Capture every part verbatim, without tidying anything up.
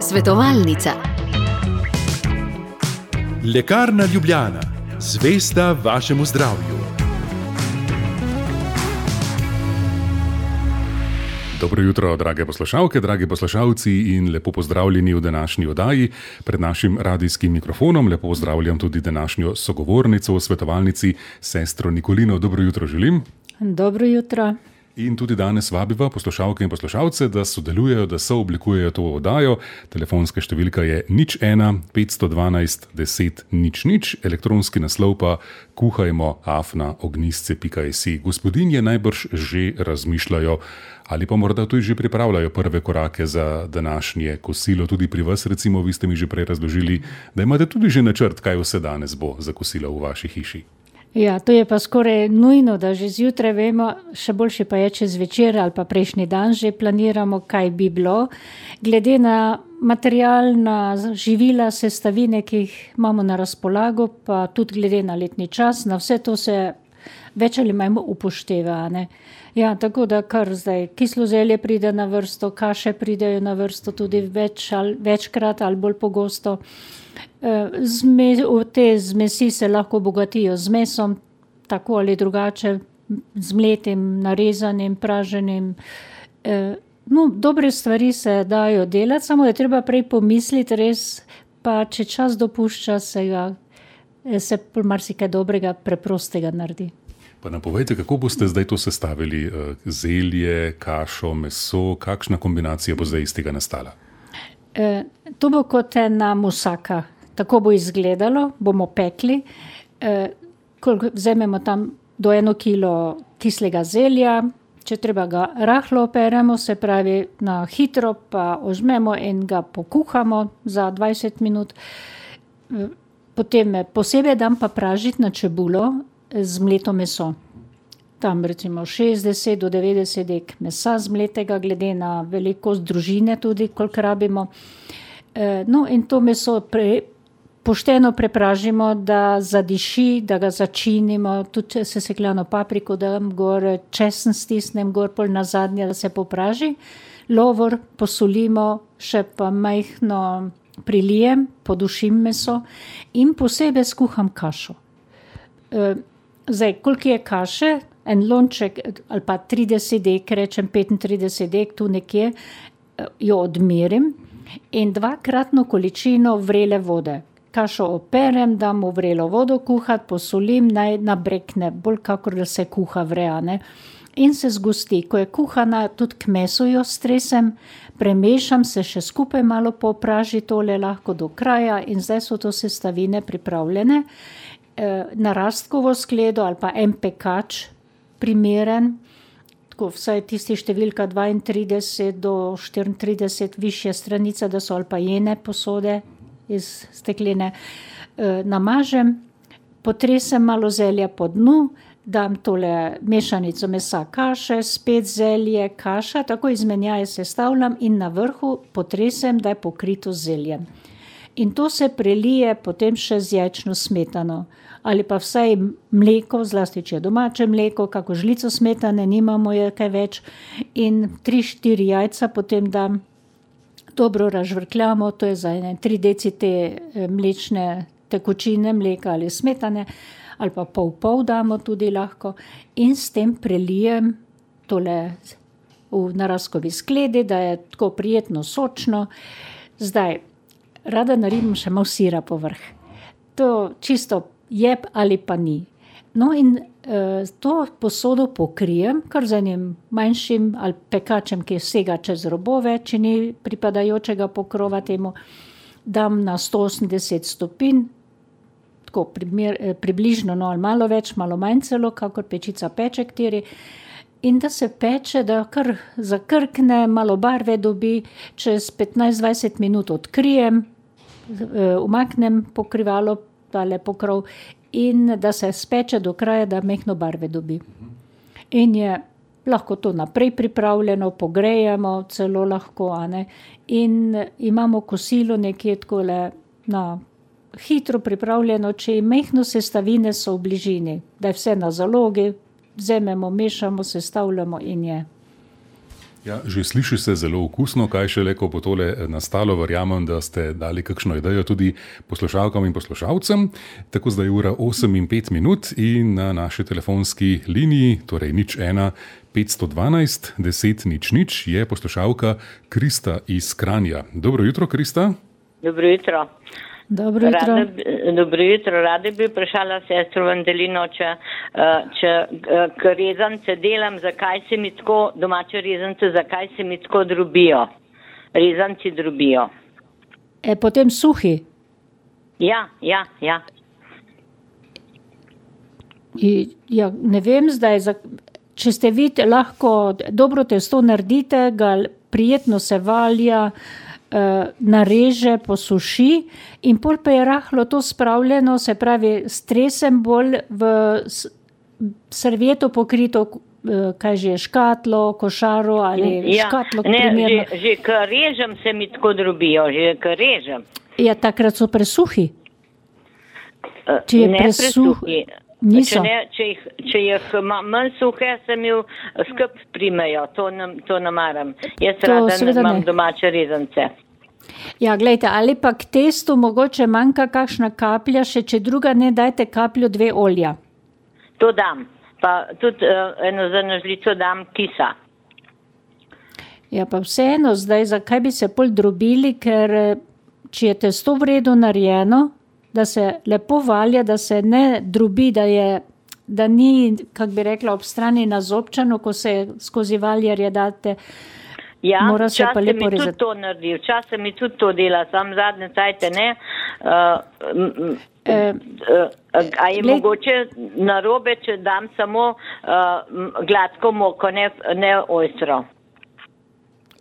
Svetovalnica. Lekarna Ljubljana, zvesta vašemu zdravju. Dobro jutro, drage poslušalke, dragi poslušalci in lepo pozdravljeni v današnji oddaji. Pred našim radijskim mikrofonom lepo pozdravljam tudi današnjo sogovornico v svetovalnici, sestro Nikolino. Dobro jutro želim. Dobro jutro. In tudi danes vabiva poslušalke in poslušalce, da sodelujejo, da sooblikujejo to oddajo. Telefonska številka je nič ena petsto dvanajst deset nič nič, elektronski naslov pa kuhajmo afna ognjisce pika si. Gospodinje najbrž že razmišljajo ali pa morda tudi že pripravljajo prve korake za današnje kosilo. Tudi pri vas, recimo, vi ste mi že prej razložili, da imate tudi že načrt, kaj vse danes bo za kosilo v vaši hiši. Ja, to je pa skoraj nujno, da že zjutraj vemo, še boljše pa je, če zvečer ali pa prejšnji dan že planiramo, kaj bi bilo. Glede na materialna živila, sestavine, ki jih imamo na razpolago, pa tudi glede na letni čas, na vse to se več ali manj upošteva, ne. Ja, tako da kar zdaj kislo zelje pride na vrsto, kaše pridejo na vrsto tudi več ali, večkrat ali bolj pogosto. Zme, te zmesi se lahko obogatijo z mesom, tako ali drugače, z mletim, narezanim, praženim. No, dobre stvari se dajo delati, samo je treba prej pomisliti res, pa če čas dopušča, se ga, se marsikaj dobrega, preprostega naredi. Pa napovejte, kako boste zdaj to sestavili? Zelje, kašo, meso, kakšna kombinacija bo zdaj iz tega nastala? E, to bo kot ena musaka. Tako bo izgledalo, bomo pekli. E, vzamemo tam do eno kilo kislega zelja, če treba ga rahlo operemo, se pravi na hitro, pa ožmemo in ga pokuhamo za dvajset minut. E, potem posebej dam pa pražiti na čebulo z mleto meso. Tam recimo šestdeset do devetdeset dek mesa zmletega, glede na velikost družine tudi, koliko rabimo. E, no in to meso pre, pošteno prepražimo, da zadiši, da ga začinimo, tudi sesekljano papriko dam gor, česen stisnem gor, pol nazadnje, da se popraži. Lovor posolimo, še pa majhno prilijem, podušim meso in posebej skuham kašo. E, zdaj, koliko je kaše? En lonček ali pa trideset dek, rečem petintrideset dek, tu nekje jo odmerim in dvakratno količino vrele vode. Kašo operem, dam v vrelo vodo kuhati, posolim, naj nabrekne, bolj kakor da se kuha vrea, ne. In se zgosti. Ko je kuhana, tudi k mesu jo stresem, premešam, se še skupaj malo popraži tole lahko do kraja in zdaj so to sestavine pripravljene. E, na rastkovo skledo ali pa en pekač primeren, tako vsaj tisti številka dvaintrideset do štiriintrideset, višja stranica, da so ali pa jene posode iz stekline, e, namažem, potresem malo zelja po dnu, dam tole mešanico mesa, kaše, spet zelje, kaša, tako izmenjaje sestavljam in na vrhu potresem, da je pokrito z zeljem. In to se prelije potem še z jajčno smetano. Ali pa vsaj mleko, zlasti če je domače mleko, kako žlico smetane, nimamo je kaj več. In tri, štiri jajca potem dam, dobro razžvrkljamo, to je za ene tri deci te mlečne tekočine, mleka ali smetane, ali pa pol pol damo tudi lahko. In s tem prelijem tole v narazkovi skledi, da je tako prijetno sočno. Zdaj, rada naredim še malo sira povrh. To čisto jeb ali pa ni. No in e, to posodo pokrijem, kar z enim manjšim ali pekačem, ki sega čez robove, če ni pripadajočega pokrova temu, dam na sto osemdeset stopinj, tako primer, približno, no ali malo več, malo manj celo, kakor pečica peče ktiri. In da se peče, da kar zakrkne, malo barve dobi, čez petnajst dvajset minut odkrijem, umaknem pokrivalo, tale pokrov, in da se speče do kraja, da mehno barve dobi. In je lahko to naprej pripravljeno, pogrejemo celo lahko, a ne. In imamo kosilo nekje takole na hitro pripravljeno, če mehno sestavine so v bližini, da je vse na zalogi, vzememo, mešamo, sestavljamo in je. Ja, že sliši se zelo okusno, kaj šele, ko bo tole nastalo. Verjamem, da ste dali kakšno idejo tudi poslušalkam in poslušalcem. Tako zdaj je ura osem in pet minut in na naši telefonski liniji, torej nič ena petsto dvanajst deset nič nič, je poslušalka Krista iz Kranja. Dobro jutro, Krista. Dobro jutro. Dobro jutro. Rada, dobro jutro. Rada bi vprašala sestro Vandelino, če, če k rezance delam, zakaj se mi tako, domače rezance, zakaj se mi tako drobijo. Rezanci drobijo. E, potem suhi? Ja, ja, ja. I, ja ne vem zdaj, če ste vi lahko dobro testo naredite, ga prijetno se valja, nareže, posuši in pol pa je rahlo to spravljeno, se pravi, stresem bolj v servieto pokrito, kaj že je, škatlo, košaro ali ja, škatlo. Ne, že, že ko režem se mi tako drobijo, že ko režem. Ja, takrat so presuhi. Če je ne presuhi. Če, ne, če jih, če jih manj suhe, se mi skup primejo, to ne, to ne maram. Jaz to rada imam ne. domače rezance. Ja, gledajte, ali pa k testu mogoče manjka kakšna kaplja, še če druga ne, dajte kapljo dve olja. To dam, pa tudi uh, eno za nožlico dam kisa. Ja, pa vseeno zdaj, zakaj bi se pol drobili, ker če je testo v redu narejeno, da se lepo valja, da se ne drobi, da, je, da ni, kak bi rekla, ob strani nazobčano, ko se skozi valjarje date. Ja, včasih mi tudi to naredi, včasih mi tudi to dela, sam zadnje cajte ne. Uh, e, uh, a je gled... mogoče narobe, če dam samo uh, gladko moko, ne, ne ostro?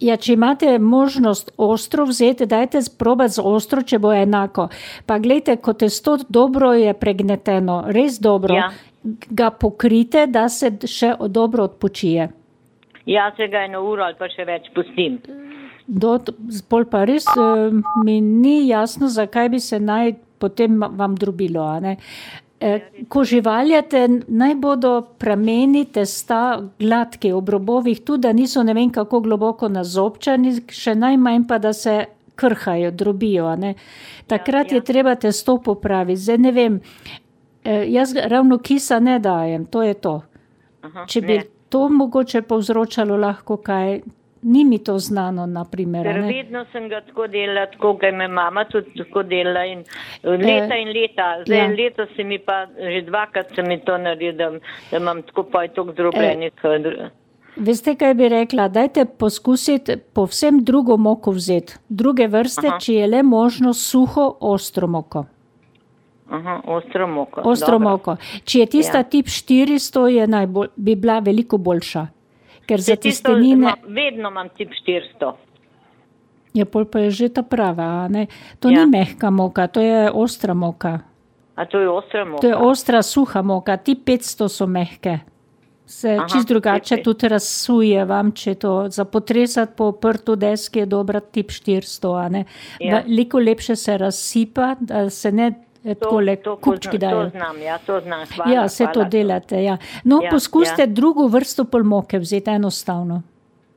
Ja, če imate možnost ostro vzeti, dajte probati z ostro, če bo enako. Pa gledajte, ko testo dobro je pregneteno, res dobro, ja. Ga pokrite, da se še dobro odpočije. Ja, se ga eno uro ali pa še več pustim. Do, pol pa res mi ni jasno, zakaj bi se naj potem vam drobilo, a ne? Ko živaljate, naj bodo prameni testa gladki ob robovih, tudi da niso ne vem kako globoko nazobčani, še najmanj pa, da se krhajo, drobijo. Ne? Takrat ja, ja. Je treba testo popraviti. Zdaj ne vem, jaz ravno kisa ne dajem, to je to. Aha, če bi ne. To mogoče povzročalo lahko kaj, ni mi to znano, na primer. Ker vedno sem ga tako delala, tako ga me mama tudi tako delala in leta in leta. Zdaj ja. Leto se mi pa, že dvakrat se mi to naredi, da, da imam tako pa je toliko zdrobljenih. E, veste, kaj bi rekla? Dajte poskusiti povsem drugo moko vzeti. Druge vrste, Aha. Če je le možno suho, ostro moko. Aha, ostro moko. Ostro moko. Če je tista ja. Tip štiristo, je najbolj, bi bila veliko boljša. Ker za testenine... Vedno imam tip štiristo. Ja, pol pa je že ta prava, ne? To ja. Ni mehka moka, to je ostra moka. A to je ostra moka? To je ostra, suha moka. Tip petsto so mehke. Se Aha, čist drugače tudi razsuje vam, če to za potresati po prtu deski je dobra tip štiristo, a ne? Ja. Veliko lepše se razsipa, da se ne... To, to, kupčki to znam, ja, to znam. Hvala, ja, se hvala, to delate, ja. No, ja, poskusite ja. Drugo vrsto polmoke vzeti enostavno.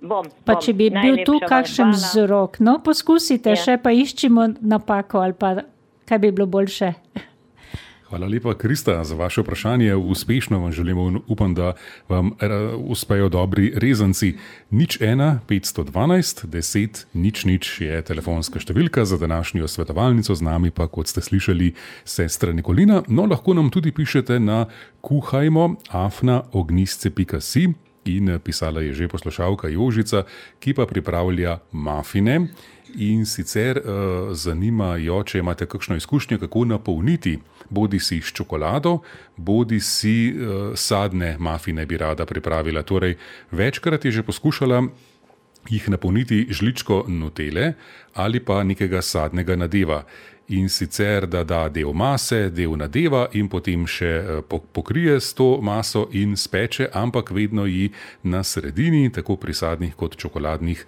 Bom, pa bom. Če bi bil tu kakšen vzrok, no, poskusite, ja. Še pa iščimo napako ali pa kaj bi bilo boljše. Hvala lepa, Krista, za vaše vprašanje. Uspešno vam želimo in upam, da vam uspejo dobri rezanci. nič ena petsto dvanajst deset nič nič je telefonska številka za današnjo svetovalnico, z nami pa, kot ste slišali, sestra Nikolina. No, lahko nam tudi pišete na kuhajmo afna ognjisce pika si in pisala je že poslušalka Jožica, ki pa pripravlja mafine. In sicer uh, zanima jo, če imate kakšno izkušnjo, kako napolniti bodi si s čokolado, bodi si uh, sadne mafine bi rada pripravila. Torej, večkrat je že poskušala jih napolniti žličko nutele ali pa nekega sadnega nadeva. In sicer, da da del mase, del nadeva in potem še pokrije s to maso in speče, ampak vedno ji na sredini, tako pri sadnih kot čokoladnih,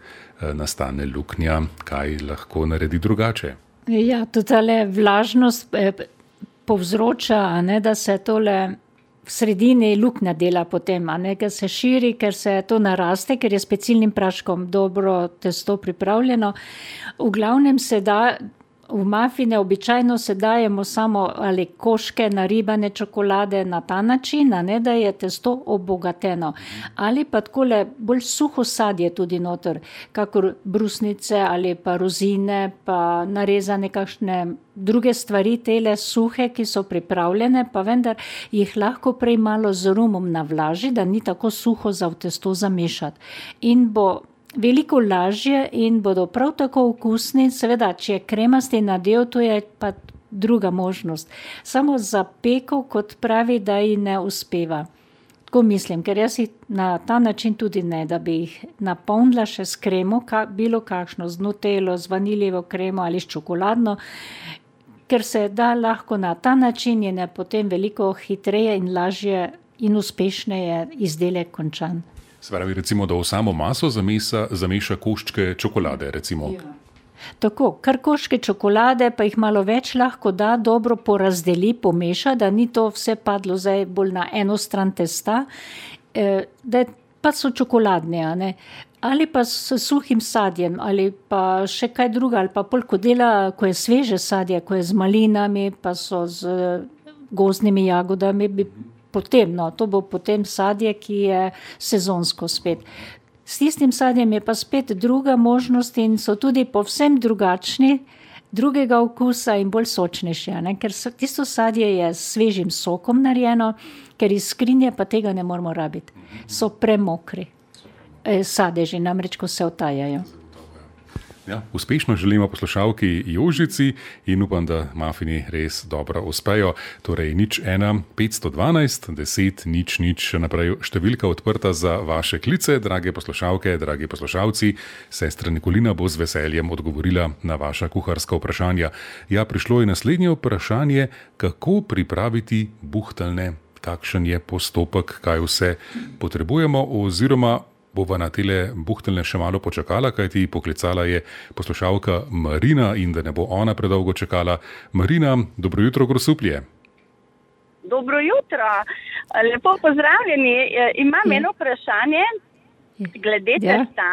nastane luknja. Kaj lahko naredi drugače? Ja, totale vlažnost povzroča, ne, da se tole v sredini luknja dela potem, a ne, ker se širi, ker se to naraste, ker je s pecilnim praškom dobro testo pripravljeno. V glavnem se da, v mafine običajno se dajemo samo ali koške naribane čokolade na ta način, a ne, da je testo obogateno. Ali pa takole bolj suho sadje tudi noter, kakor brusnice ali pa rozine, pa narezane kakšne druge stvari, tele suhe, ki so pripravljene, pa vendar jih lahko prej malo z rumom navlaži, da ni tako suho za v testo zamešati. In bo veliko lažje in bodo prav tako okusni. Seveda, če je kremasti nadev, to je pa druga možnost. Samo za peko, kot pravi, da ji ne uspeva. Tako mislim, ker jaz jih na ta način tudi ne, da bi jih napolnila še s kremo, ka, bilo kakšno, z nutelo, z vaniljevo kremo ali s čokoladno, ker se da lahko na ta način je ne potem veliko hitreje in lažje in uspešneje izdelek končan. Spravi, recimo, da v samo maso zameša, zameša koščke čokolade, recimo. Ja. Tako, kar koščke čokolade, pa jih malo več lahko da, dobro porazdeli, pomeša, da ni to vse padlo zdaj bolj na eno stran testa, eh, da pa so čokoladne, a ne. Ali pa s suhim sadjem, ali pa še kaj druga, ali pa polko dela, ko je sveže sadje, ko je z malinami, pa so z gozdnimi jagodami, bi potem, no, to bo potem sadje, ki je sezonsko spet. S tistim sadjem je pa spet druga možnost in so tudi povsem drugačni, drugega okusa in bolj sočnejši, ne? Ker so, tisto sadje je s svežim sokom narejeno, ker iz skrinje pa tega ne moramo rabiti. So premokri e, sadeži, namreč ko se otajajo. Ja, uspešno želimo poslušalki Jožici in upam, da mafini res dobro uspejo. Torej nič ena, petsto dvanajst, deset, nič, nič, naprej številka odprta za vaše klice, drage poslušalke, dragi poslušalci. Sestra Nikolina bo z veseljem odgovorila na vaša kuharska vprašanja. Ja, prišlo je naslednje vprašanje, kako pripraviti buhteljne, kakšen je postopek, kaj vse potrebujemo oziroma bova na tele buhteljne še malo počakala, kajti poklicala je poslušalka Marina in da ne bo ona predolgo čakala. Marina, dobro jutro, Grosuplje. Dobro jutro, lepo pozdravljeni. Imam ja. eno vprašanje glede testa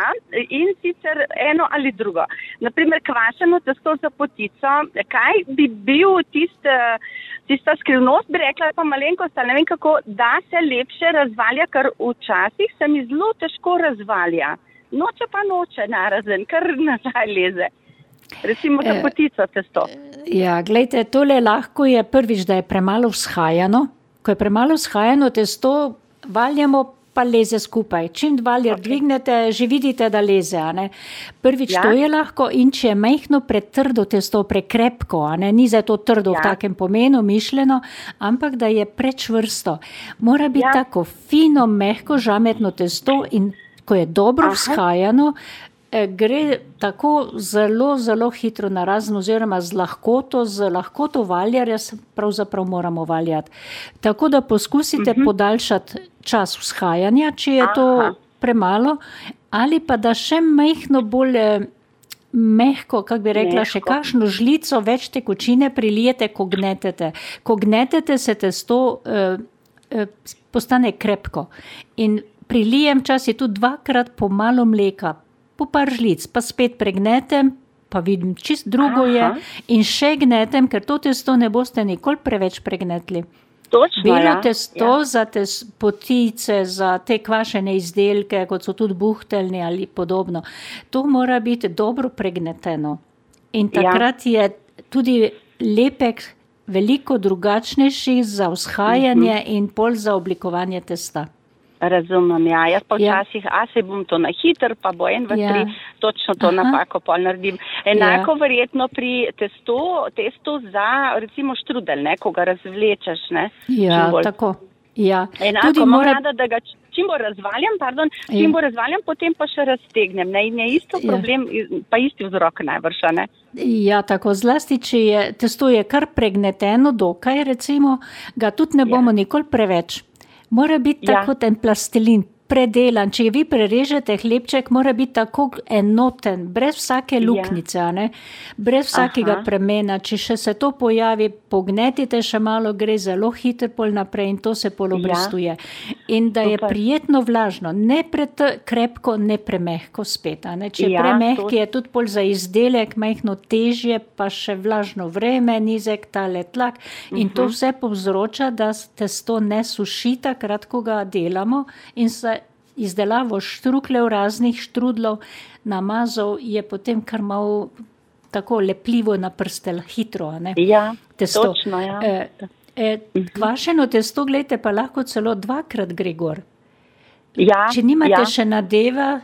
in sicer eno ali drugo. Naprimer, kvašeno testo za potico, kaj bi bil tist, tista skrivnost, bi rekla, pa malenkost, ne vem kako, da se lepše razvalja, ker včasih se mi zelo težko razvalja. Noče pa noče narazen, kar nazaj leze. Recimo za potico testo. Ja, gledajte, tole lahko je prvič, da je premalo vzhajano. Ko je premalo vzhajano testo, valjamo pa leze skupaj. Čim valjar okay. dvignete, že vidite, da leze. A ne? Prvič ja. to je lahko in če je majhno pretrdo testo, prekrepko, a ne? Ni za to trdo ja. v takem pomenu mišljeno, ampak da je prečvrsto. Mora biti ja. tako fino, mehko, žametno testo in ko je dobro Aha. vzhajano, gre tako zelo, zelo hitro narazen oziroma z lahkoto, z lahkoto valjarja pravzaprav moramo valjati. Tako da poskusite uh-huh. podaljšati čas vzhajanja, če je to Aha. premalo, ali pa da še majhno bolj mehko, kako bi rekla, mehko. Še kakšno žlico več tekočine prilijete, ko gnetete. Ko gnetete, se testo eh, eh, postane krepko. In prilijem čas je tudi dvakrat po malo mleka, po par žlic, pa spet pregnetem, pa vidim, čist drugo je in še gnetem, ker to testo ne boste nikoli preveč pregnetli. Točno, Belo ja. testo ja. za te potice, za te kvašene izdelke, kot so tudi buhteljni ali podobno, to mora biti dobro pregneteno. In takrat ja. je tudi lepek veliko drugačnejši za vzhajanje uh-huh. in pol za oblikovanje testa. Razumem, ja. Jaz pa včasih, ja. a se bom to na hiter, pa bo en, dva, ja. tri, točno to Aha. napako pol naredim. Enako ja. verjetno pri testu, testu za, recimo, štrudelj, ne, ko ga razvlečeš, ne. Ja, tako. Ja. Enako, tudi mora... rada, da ga čim bo razvaljam, pardon, čim ja. bo razvaljam, potem pa še raztegnem, ne, in je isto problem, ja. pa isti vzrok najvrša, ne. Ja, tako, zlasti, če je, testo je kar pregneteno dokaj, recimo, ga tudi ne bomo ja. nikoli preveč. Mora biti ja. tako ten plastelin, predelan. Če vi prerežete hlebček, mora biti tako enoten, brez vsake luknice, ja. ne? Brez vsakega Aha. premena. Če še se to pojavi, pognetite še malo, gre zelo hitro pol naprej in to se pol obrestuje. Ja. In da je Super. prijetno vlažno, ne prekrepko, ne premehko spet. Ne? Če je ja, premehki, to... je tudi pol za izdelek majhno težje, pa še vlažno vreme, nizek tale tlak. In uh-huh. to vse povzroča, da testo ne suši takrat, ko ga delamo in se izdelavo štruklev, raznih štrudlov, namazov je potem kar malo tako lepljivo na prstel, hitro, ne? Ja, testo. Točno, ja. E, e, kvašeno testo, gledajte, pa lahko celo dvakrat gre gor. Ja, Če nimate ja. še nadeva,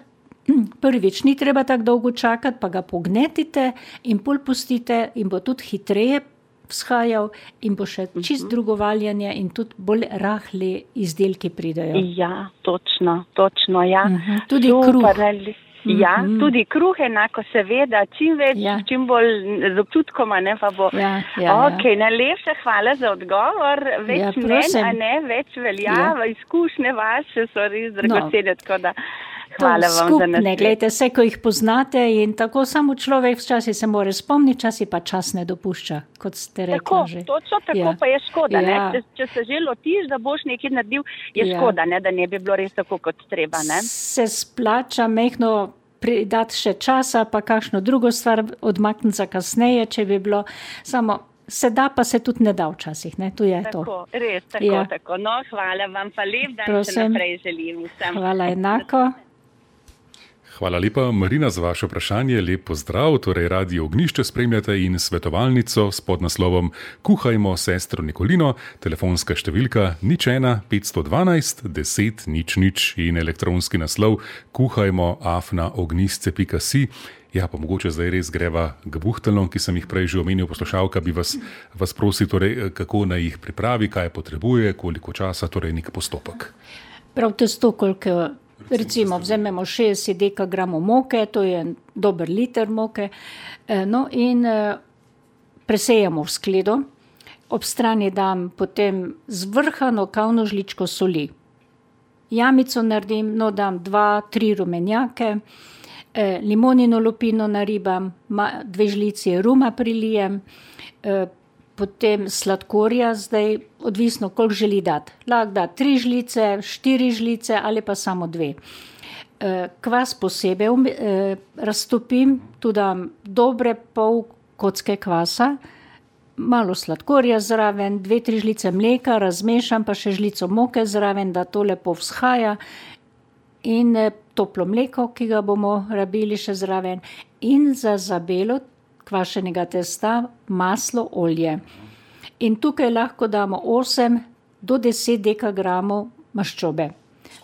prvič, ni treba tako dolgo čakati, pa ga pognetite in pol pustite in bo tudi hitreje vzhajal in bo še čist drugo valjanje in tudi bolj rahli izdelki pridejo. Ja, točno, točno, ja. Uh-huh. Tudi Super, kruh. Ne, ja, uh-huh. tudi kruh enako seveda, čim več, ja. čim bolj z občutkoma, ne, pa bo. Ja, ja, ok, ja. najlepša hvala za odgovor, več ja, mnen, a ne, več velja, ja. izkušnje vaše so res dragocene, no. tako da hvala vam skupne, za nas. Gledajte, vse, ko jih poznate in tako samo človek včasih se mora spomniti, časi pa čas ne dopušča, kot ste rekli tako, že. Točno tako, ja. pa je škoda, ja. ne? Če, če se že lotiš, da boš nekaj naredil, je ja. škoda, ne? Da ne bi bilo res tako, kot treba. Ne? Se splača mehno pridati še časa, pa kakšno drugo stvar odmakniti za kasneje, če bi bilo samo... Se da, pa se tudi ne da včasih, ne? Tu je tako, to. Res, tako, ja. tako. No, hvala vam pa lep dan, Prosim. še naprej želim vsem. Hvala enako. Hvala lepa, Marina, za vaše vprašanje. Lep pozdrav. Torej, Radio Ognjišče spremljate in svetovalnico s podnaslovom Kuhajmo sestro Nikolino. Telefonska številka nič ena petsto dvanajst deset nič nič in elektronski naslov kuhajmo afna ognjisce pika si. Ja, pa mogoče zdaj res greva k buhteljnom, ki sem jih prej že omenil, poslušalka bi vas, vas prosil, torej, kako naj jih pripravi, kaj potrebuje, koliko časa, torej nek postopek. Prav testo, koliko, recimo, vzememo šestdeset dekagramov moke, to je dober liter moke, no in presejemo v skledo, ob strani dam potem zvrhano kavno žličko soli. Jamico naredim, no dam dva, tri rumenjake, limonino lupino naribam, dve žlici ruma prilijem, potem sladkorja, zdaj odvisno, koliko želi dati. Lahko da tri žlice, štiri žlice ali pa samo dve. Kvas posebej raztopim, tu dam dobre pol kocke kvasa, malo sladkorja zraven, dve, tri žlice mleka, razmešam pa še žlico moke zraven, da to lepo vzhaja in toplo mleko, ki ga bomo rabili še zraven in za zabelo kvašenega testa maslo, olje. In tukaj lahko damo osem do deset dekagramov maščobe.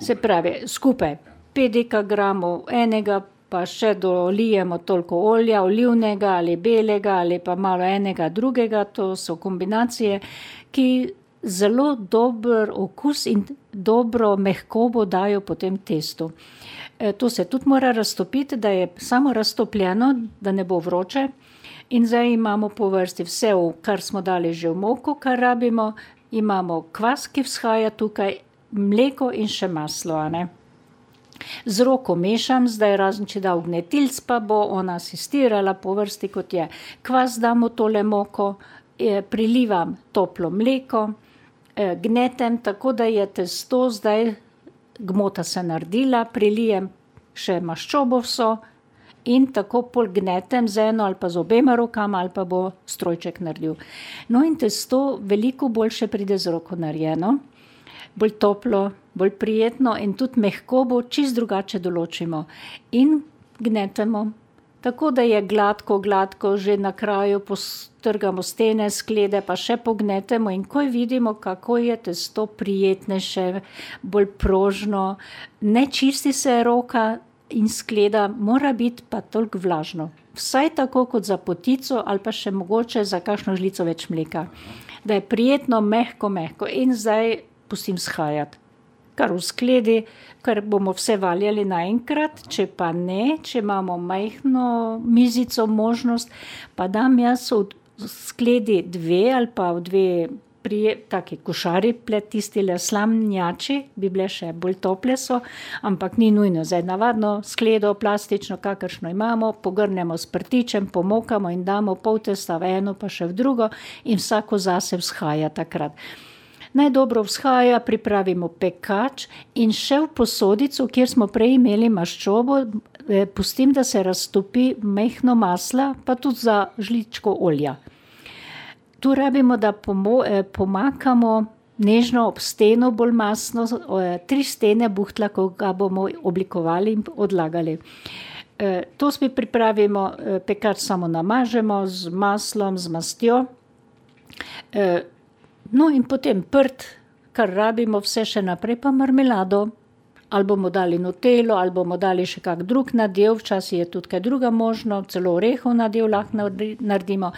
Se pravi, skupaj pet dekagramov enega, pa še dolijemo toliko olja, olivnega ali belega ali pa malo enega drugega, to so kombinacije, ki zelo dober okus in dobro mehkobo dajo potem testu. To se tudi mora raztopiti, da je samo raztopljeno, da ne bo vroče. In zdaj imamo po vrsti vse, kar smo dali že v moko, kar rabimo. Imamo kvas, ki vzhaja tukaj, mleko in še maslo. Ne? Z roko mešam, zdaj razen če da vgnetilc, pa bo ona asistirala po vrsti, kot je. Kvas damo tole moko, prilivam toplo mleko, gnetem, tako da je testo zdaj gmota se naredila, prilijem še maščobo vso in tako pol gnetem z eno ali pa z obema rokama ali pa bo strojček naredil. No in testo veliko boljše pride z roko narejeno, bolj toplo, bolj prijetno in tudi mehkobo čist drugače določimo in gnetemo. Tako da je gladko, gladko, že na kraju postrgamo stene, sklede, pa še pognetemo in ko vidimo, kako je testo prijetnejše, bolj prožno, ne čisti se roka in skleda, mora biti pa toliko vlažno. Vsaj tako kot za potico ali pa še mogoče za kakšno žlico več mleka. Da je prijetno, mehko, mehko in zdaj pustim shajati. Kar v skledi, ker bomo vse valjali naenkrat, če pa ne, če imamo majhno mizico možnost, pa dam jaz v skledi dve ali pa v dve pri taki košari plet tistile slamnjači, bi bile še bolj tople so, ampak ni nujno. Zdaj navadno skledo, plastično, kakršno imamo, pogrnemo s prtičem, pomokamo in damo pol testa v eno, pa še v drugo in vsako zase vzhaja takrat. Najdobro vzhaja, pripravimo pekač in še v posodico, kjer smo prej imeli maščobo, pustim, da se raztopi mehno masla, pa tudi za žličko olja. Tu rabimo, da pomakamo nežno ob steno bolj masno, tri stene buhtla, ko ga bomo oblikovali in odlagali. To spet pripravimo, pekač samo namažemo z maslom, z mastjo. No in potem prt, kar rabimo vse še naprej, pa marmelado. Ali bomo dali nutelo, ali bomo dali še kak drug nadev, včasih je tudi kaj druga možno, celo orehov nadev lahko naredimo.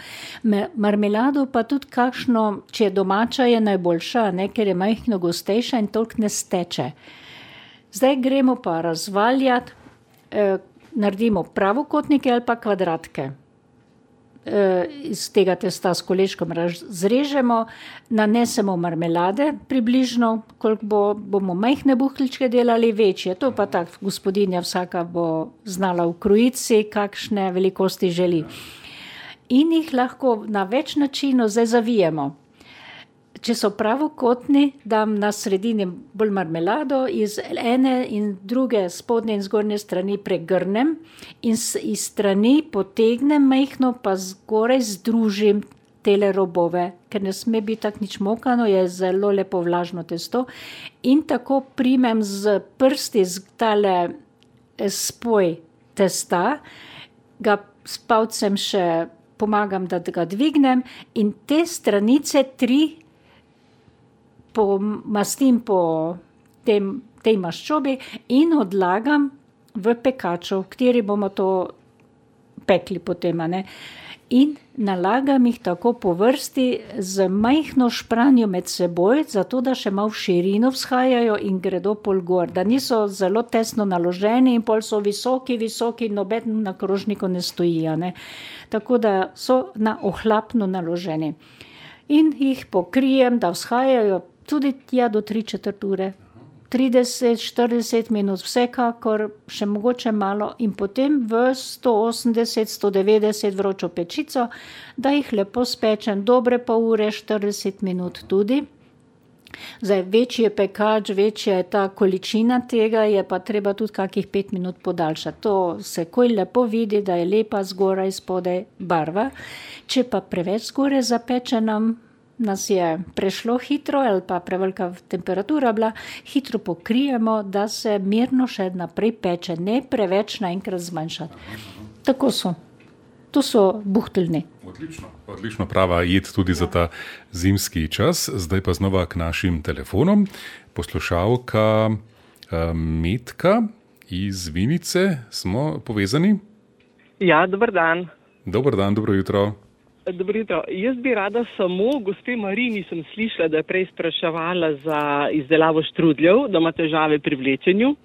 Marmelado pa tudi kakšno, če je domača, je najboljša, ne, ker je majhno gostejša in toliko ne steče. Zdaj gremo pa razvaljati, eh, naredimo pravokotnike ali pa kvadratke. Iz tega testa s koleškom zrežemo, nanesemo marmelade približno, koliko bo, bomo majhne buhličke delali, večje. To pa tak, gospodinja vsaka bo znala ukrojiti si, kakšne velikosti želi. In jih lahko na več načinov zdaj zavijemo. Če so pravokotni, dam na sredini bolj marmelado, iz ene in druge spodnje in zgornje strani pregrnem in iz strani potegnem majhno, pa zgoraj združim tele robove, ker ne sme biti tak nič mokano, je zelo lepo vlažno testo. In tako primem z prsti z tale spoj testa, ga s palcem še pomagam, da ga dvignem in te stranice tri pomastim po tem, tej maščobi in odlagam v pekaču, v kateri bomo to pekli potem, ne. In nalagam jih tako po vrsti z majhno špranjo med seboj, zato da še malo v širino vzhajajo in gredo pol gor, da niso zelo tesno naloženi in pol so visoki, visoki, noben na krožniku ne stoji, ne. Tako da so na ohlapno naloženi. In jih pokrijem, da vzhajajo tudi tja do tri četrt ure, trideset, štirideset minut, vsekakor, še mogoče malo in potem v sto osemdeset, sto devetdeset vročo pečico, da jih lepo spečem dobre pol ure, štirideset minut tudi. Zdaj, večji je pekač, večja je ta količina tega, je pa treba tudi kakih pet minut podaljšati. To se koj lepo vidi, da je lepa zgoraj, spodaj barva. Če pa preveč zgoraj zapečenem, nas je prešlo hitro ali pa prevelika temperatura bila, hitro pokrijemo, da se mirno še naprej peče, ne preveč naenkrat zmanjšati. Tako so. To so buhteljni. Odlično, odlično prava jed tudi za ta zimski čas. Zdaj pa znova k našim telefonom. Poslušalka Metka iz Vinice, smo povezani? Ja, dober dan. Dober dan, dobro jutro. Dobro jutro. Jaz bi rada samo, gospe Marini sem slišala, da je prej spraševala za izdelavo štrudljev, da ima težave pri vlečenju.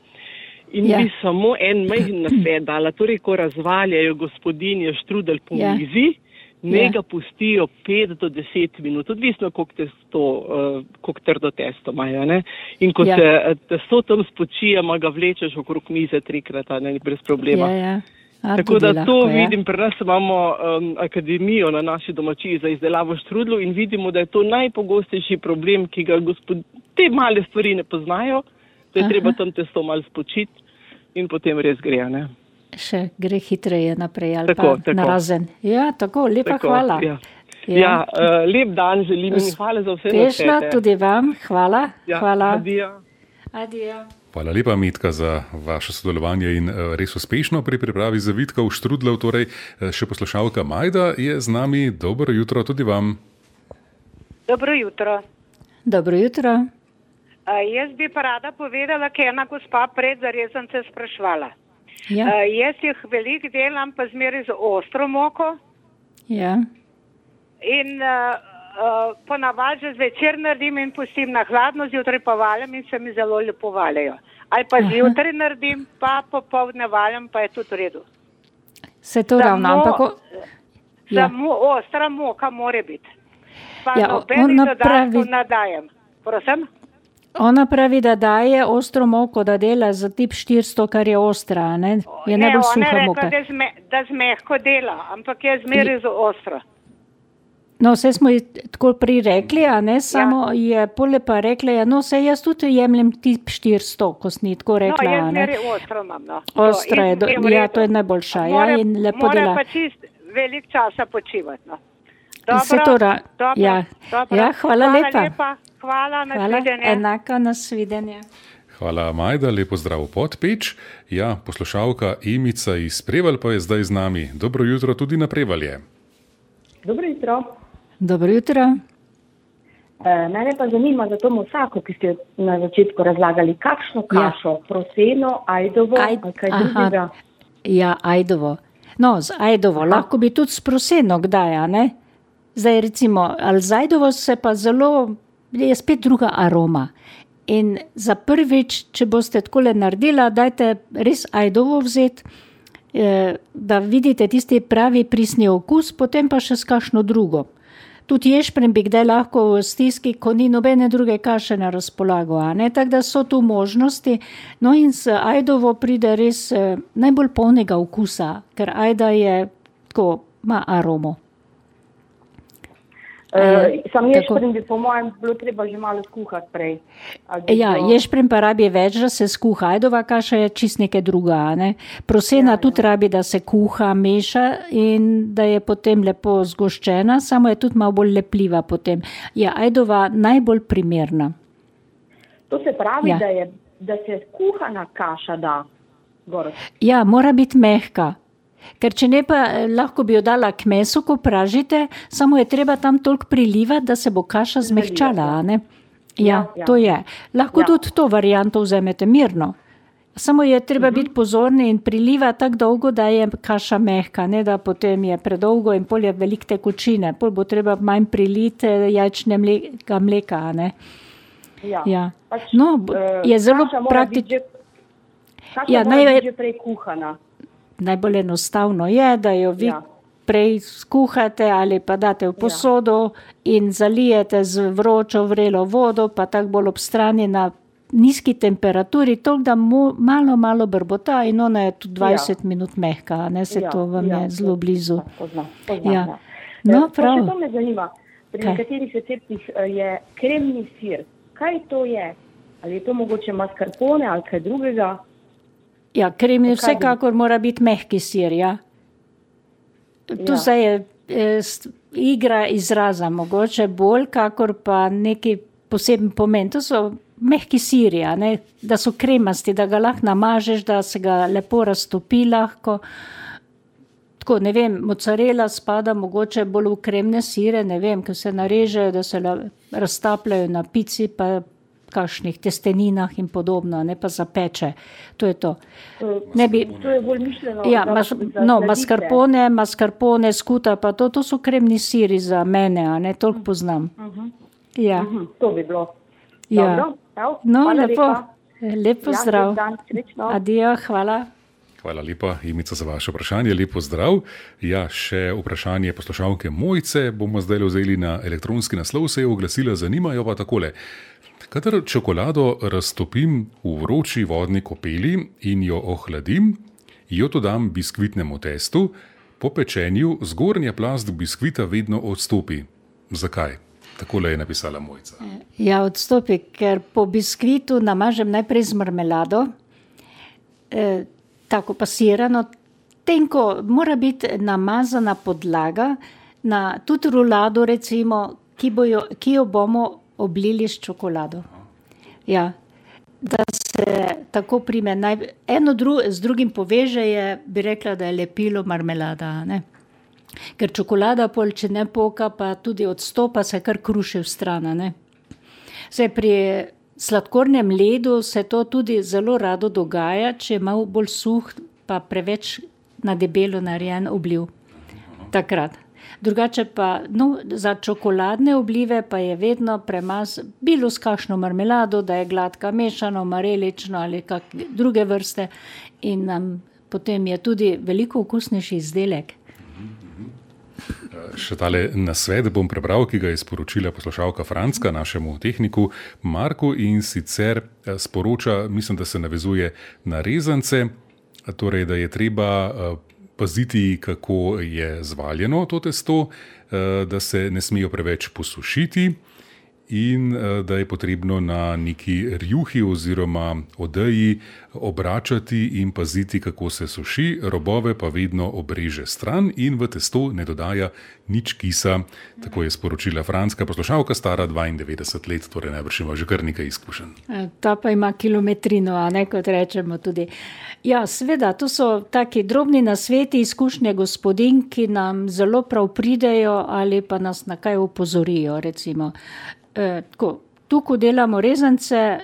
In ja. Bi samo en majhen nasvet dala, torej ko razvaljajo gospodinje štrudelj po ja. Mizi, ne ja. Ga pustijo pet do deset minut, odvisno koliko testo, uh, koliko trdo testo imajo, ne. In ko ja. Se testo tam spočije, ma ga vlečeš okrog mize trikrat, ne, brez problema. Ja, ja. A, tako da lahko, to ja. Vidim, pri nas imamo um, akademijo na naši domačiji za izdelavo štrudljev in vidimo, da je to najpogostejši problem, ki ga gospod... te male stvari ne poznajo, da je Aha. Treba tam testo malo spočiti in potem res gre, ne. Še gre hitreje naprej ali tako, pa tako. Narazen. Ja, tako, lepa tako, hvala. Ja, ja. ja uh, lep dan želim in hvala za vse nasvete. Uspešno tudi vam, hvala. Ja, hvala. Adijo. Adijo. Hvala lepa, Metka, za vaše sodelovanje in res uspešno pri pripravi zavitkov štrudljev. Torej, še poslušalka Majda je z nami. Dobro jutro tudi vam. Dobro jutro. Dobro jutro. Uh, jaz bi pa rada povedala, ker je ena gospa pred zarezance sprašvala. Ja. Uh, jaz jih veliko delam, pa zmeraj z ostro moko. Ja. In uh, uh, ponavadi že zvečer naredim in pustim na hladno, zjutraj pa valjam in se mi zelo lepo valjajo. Ali pa zjutraj naredim, pa popoldne valjam, pa je tudi v redu. Se to ravno, ampak... Ja. Samo ostra moka more biti. Pa Ja, nobenih ona dodatkov pravi- ne dajem. Prosim? Ona pravi, da daje ostro moko, da dela za tip štiristo, kar je ostra, a ne? Je Ne, najbolj ona suha je rekla, moka. da, zme, da zmehko dela, ampak je zmeraj za ostro. No, vse smo ji tako prej rekli, a ne, samo je pole pa rekla, ja, no, saj jaz tudi jemljem tip štiristo, ko si ni tako rekla, No, jaz a ne. zmeraj ostro imam, no. Ostra je, do, In- in v ja, redu. to je najboljša, ja, More- in lepo more dela. pa čist velik časa počivati, no. Vse to ra- dobro, ja. dobro. Ja, hvala lepa. Hvala lepa, hvala, Hvala, nasvidenje. enako nasvidenje. Hvala, Majda, lepo zdrav Podpeč. Ja, poslušalka Emica iz Prevalj pa je zdaj z nami. Dobro jutro tudi na Prevalje. Dobro jutro. Dobro jutro. E, mene pa zanima za to mosako, ki ste na začetku razlagali, kakšno kašo, ja. proseno, ajdovo Aj- ali kaj aha. drugega. Ja, ajdovo. No, z ajdovo, Aha. lahko bi tudi sproseno kdaj, a ne? Zdaj recimo, ali z ajdovo se pa zelo, je spet druga aroma. In za prvič, če boste takole naredila, dajte res ajdovo vzeti, eh, da vidite tisti pravi prisni okus, potem pa še s kakšno drugo. Tudi ješprenj bi kdaj lahko v stiski, ko ni nobene druge kaše na razpolago, a ne? Tako da so tu možnosti. No in s ajdovo pride res eh, najbolj polnega okusa, ker ajda je tako, ima aromo. E, sam tako. ješprenj bi po mojem bilo treba že malo skuhati prej. Ali bi Ja, bilo- ješprenj pa rabi več, da se skuha. Ajdova kaša je čist nekaj druga, a ne? Prosena ja, tudi ja. rabi, da se kuha, meša in da je potem lepo zgoščena, samo je tudi malo bolj lepljiva potem. Je ajdova najbolj primerna. To se pravi, Ja. da, je, da se kuhana kaša da gor. Ja, mora biti mehka. Ker če ne pa eh, lahko bi jo dala k mesu, ko pražite, samo je treba tam toliko prilivati, da se bo kaša zmehčala, a ne? Ja, Ja, ja. to je. Lahko Ja. tudi to varianto vzamete mirno. Samo je treba Mhm. biti pozorni in priliva tako dolgo, da je kaša mehka, ne da potem je predolgo in pol je veliko tekočine. Pol bo treba manj priliti jajčnega mleka, a ne? Ja. Ja. Pač, No, b- eh, je zelo kaša mora praktično. biti že- Kaša Ja, mora naj- biti že prej kuhana. Najbolj enostavno je, da jo vi Ja. prej skuhate ali pa date v posodo in zalijete z vročo vrelo vodo, pa tako bolj ob strani na nizki temperaturi, toliko da mu malo, malo brbota in ona je tudi dvajset minut mehka, a ne se Ja, to vam ja, je zelo blizu. ja, Poznam, poznam, Ja. ja. No, Eh, pa prav. še to me zanima. Pri Kaj? nekaterih receptih eh, je kremni sir. Kaj to je? Ali je to mogoče mascarpone ali kaj drugega? Ja, kremni Zakaj bi- vsekakor mora biti mehki sir, ja. Tu Ja. zdaj je eh, st- igra izraza, mogoče bolj, kakor pa neki poseben pomen. To so mehki siri, a ne, da so kremasti, da ga lahko namažeš, da se ga lepo raztopi lahko. Tako, ne vem, mozzarella spada mogoče bolj v kremne sire, ne vem, ker se narežejo, da se la- raztapljajo na pici, pa kakšnih testeninah in podobno, ne pa zapeče. To je to. Ne bi, To je bolj mišljeno ja, za, mas, za no, sladitve. mascarpone, mascarpone, skuta, pa to, to so kremni siri za mene, a ne, toliko poznam. Ja, Mhm, to bi bilo. ja. Dobro, evo, No, hvala lepo, lepa. lep pozdrav. Ja, lep dan, srečno. Adijo, hvala. Hvala lepa, Imica, za vaše vprašanje. Lepo zdrav. Ja, še vprašanje poslušalke Mojce bomo zdaj vzeli na elektronski naslov, se je oglasila, zanimajo pa takole. Kadar čokolado raztopim v vroči vodni kopeli in jo ohladim, jo dodam biskvitnemu testu, po pečenju zgornja plast biskvita vedno odstopi. Zakaj? Takole je napisala Mojca. Ja, odstopi, ker po biskvitu namažem najprej z marmelado, eh, tako pasirano, tenko mora biti namazana podlaga, na tudi rulado recimo, ki, bojo, ki jo bomo oblili s čokolado. Ja, da se tako prime, naj, eno dru, z drugim poveže je, bi rekla, da je lepilo marmelada, ne? Ker čokolada pol, če ne poka, pa tudi odstopa, se kar kruši v stran, ne? Se pri sladkornem ledu se to tudi zelo rado dogaja, če je malo bolj suh, pa preveč na debelo narejen obliv. Takrat. Drugače pa, no, za čokoladne oblive pa je vedno premaz, bilo s kakšno marmelado, da je gladka mešano, marelično ali kak druge vrste in nam potem je tudi veliko okusnejši izdelek. Še tale nasvet bom prebral, ki ga je sporočila poslušalka Franska našemu tehniku Marku, in sicer sporoča, mislim, da se navezuje na rezance, torej, da je treba paziti, kako je zvaljeno to testo, da se ne smejo preveč posušiti in da je potrebno na neki rjuhi oziroma odeji obračati in paziti, kako se suši, robove pa vedno obreže stran in v testo ne dodaja nič kisa. Tako je sporočila Franska poslušalka, stara dvaindevetdeset let, torej najbrž ima že kar nekaj izkušenj. Ta pa ima kilometrino, a ne, kot rečemo tudi. Ja, seveda, to so taki drobni nasveti, izkušnje gospodinj, ki nam zelo prav pridejo ali pa nas na kaj opozorijo, recimo. E, tako, tu, ko delamo rezance,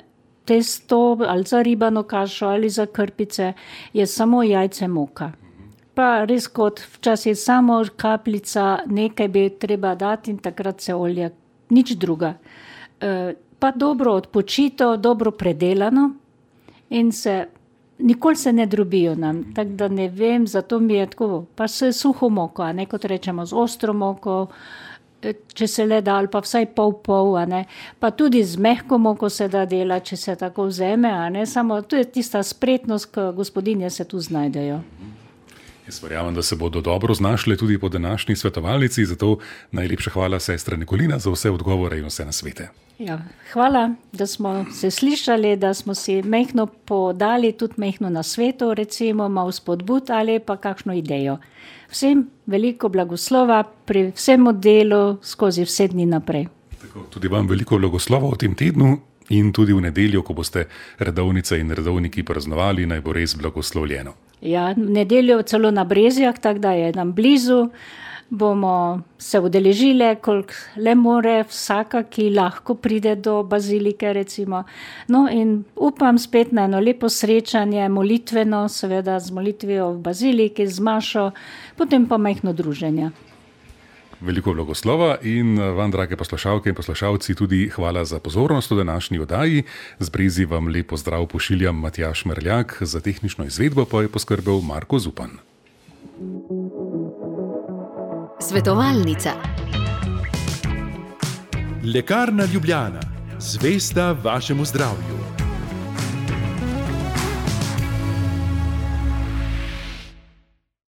testo ali za ribano kašo ali za krpice, je samo jajce moka. Pa res kot včasih samo kapljica, nekaj bi treba dati in takrat se olje, nič druga. E, pa dobro odpočito, dobro predelano in se, nikoli se ne drobijo nam, tako da ne vem, zato mi je tako, pa s suho moko, a ne, kot rečemo, z ostro moko, če se le da, ali pa vsaj pol pol, a ne, pa tudi z mehko moko se da dela, če se tako vzeme, a ne, samo to je tista spretnost, ko gospodinje se tu znajdejo. Jaz verjamem, da se bodo dobro znašle tudi po današnji svetovalnici, zato najlepša hvala sestra Nikolina za vse odgovore in vse nasvete. Ja, hvala, da smo se slišali, da smo si mehno podali tudi mehno nasveto, recimo malo spodbud ali pa kakšno idejo. Vsem veliko blagoslova pri vsem delu skozi vse dni naprej. Tako, tudi vam veliko blagoslova v tem tednu in tudi v nedeljo, ko boste redovnice in redovniki praznovali, naj bo res blagoslovljeno. Ja, v nedeljo celo na Brezjah, tako da je nam blizu, bomo se udeležile, koliko le more, vsaka, ki lahko pride do bazilike, recimo. No in upam spet na eno lepo srečanje, molitveno, seveda z molitvijo v baziliki, z mašo, potem pa majhno druženje. Veliko blagoslova in vam, drage poslušalke in poslušalci, tudi hvala za pozornost v današnji oddaji. Z Brezij vam lep pozdrav pošiljam Matjaž Merljak, za tehnično izvedbo pa je poskrbel Marko Zupan. Svetovalnica. Lekarna Ljubljana. Zvesta vašemu zdravju.